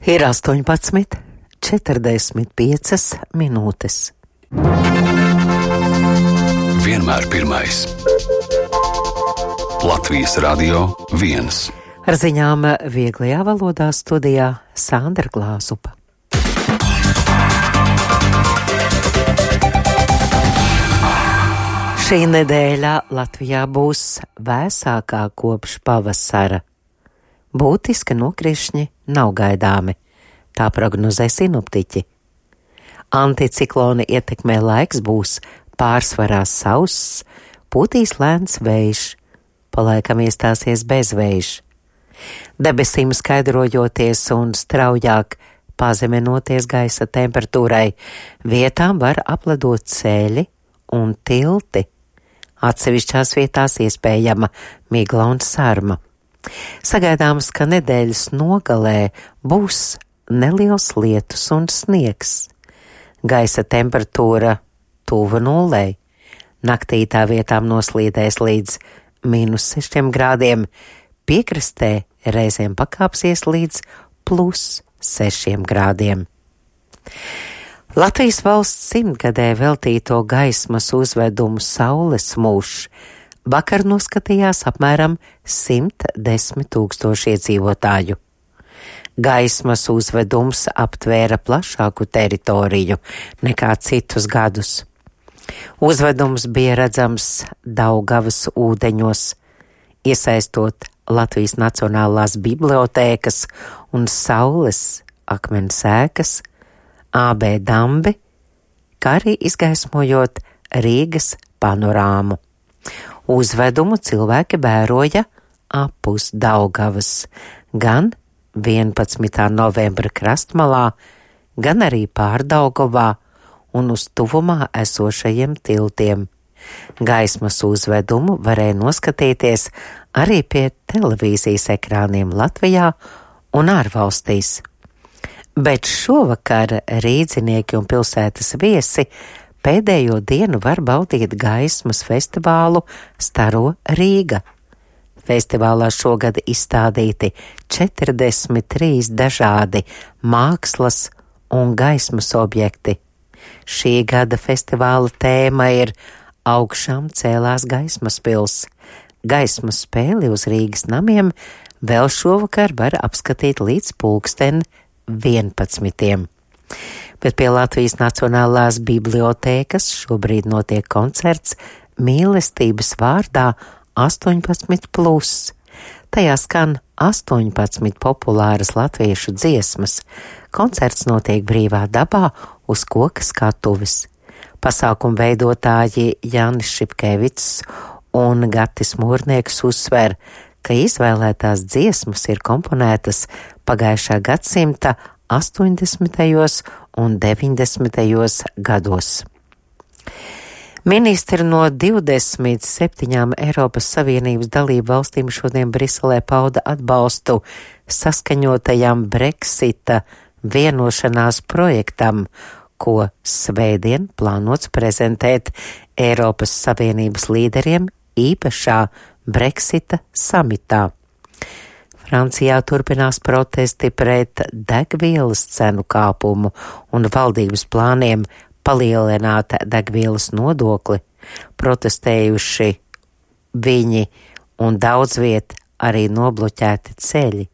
Ir 18:45 minūtes. Vienmēr pirmais. Latvijas Radio 1. Ar ziņām vieglajā valodā studijā Sandra Glāzupa. Šī nedēļa Latvijā būs vēsākā kopš pavasara. Būtiski nokrišņi nav gaidāmi, tā prognozē sinoptiķi. Anticiklona ietekmē laiks būs pārsvarā sauss, pūtīs lēns vējš, palaikam iestāsies bezvējš. Debesīm skaidrojoties un straujāk pazeminoties gaisa temperatūrai, vietām var apledot ceļi un tilti. Atsevišķās vietās iespējama migla un sarma. Sagaidāms, ka nedēļas nogalē būs neliels lietus un sniegs. Gaisa temperatūra tuva nulei. Naktī tā vietām noslīdēs līdz -6 grādiem, piekrastē reizēm pakāpsies līdz +6 grādiem. Latvijas valsts 100-gadē veltīto gaismas uzvedumu Saules mūžs vakar noskatījās apmēram 110 000 iedzīvotāju. Gaismas uzvedums aptvēra plašāku teritoriju nekā citus gadus. Uzvedums bija redzams Daugavas ūdeņos, iesaistot Latvijas Nacionālās bibliotēkas un Saules akmens ēkas, AB dambi, kā arī izgaismojot Rīgas panorāmu. Uzvedumu cilvēki vēroja apus Daugavas, gan 11. novembra krastmalā, gan arī Pārdaugavā un uz tuvumā esošajiem tiltiem. Gaismas uzvedumu varēja noskatīties arī pie televīzijas ekrāniem Latvijā un ārvalstīs. Bet šovakar rīdzinieki un pilsētas viesi pēdējo dienu var baudīt gaismas festivālu Staro Rīga. Festivālā šogad izstādīti 43 dažādi mākslas un gaismas objekti. Šī gada festivāla tēma ir Augšām cēlās gaismas pils. Gaismas spēli uz Rīgas namiem vēl šovakar var apskatīt līdz 11:00. Bet pie Latvijas Nacionālās bibliotēkas šobrīd notiek koncerts Mīlestības vārdā 18+. Tajā skan 18 populāras latviešu dziesmas. Koncerts notiek brīvā dabā uz koka skatuves. Pasākumu veidotāji Jānis Šipkevics un Gatis Mūrnieks uzsver, ka izvēlētās dziesmas ir komponētas pagājušā gadsimta 80. un 90. gados. Ministri no 27 Eiropas Savienības dalību valstīm šodien Briselē pauda atbalstu saskaņotajam Brexita vienošanās projektam, ko svētdien plānots prezentēt Eiropas Savienības līderiem īpašā Brexita samitā. Francijā turpinās protesti pret degvielas cenu kāpumu un valdības plāniem palielināt degvielas nodokli. Protestējuši viņi un daudz viet arī nobloķēti ceļi.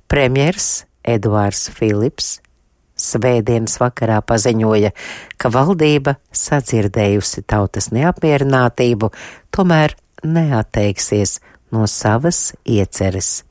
Premjers Eduards Filips svētdienas vakarā paziņoja, ka valdība sadzirdējusi tautas neapmierinātību, tomēr neatteiksies no savas ieceres.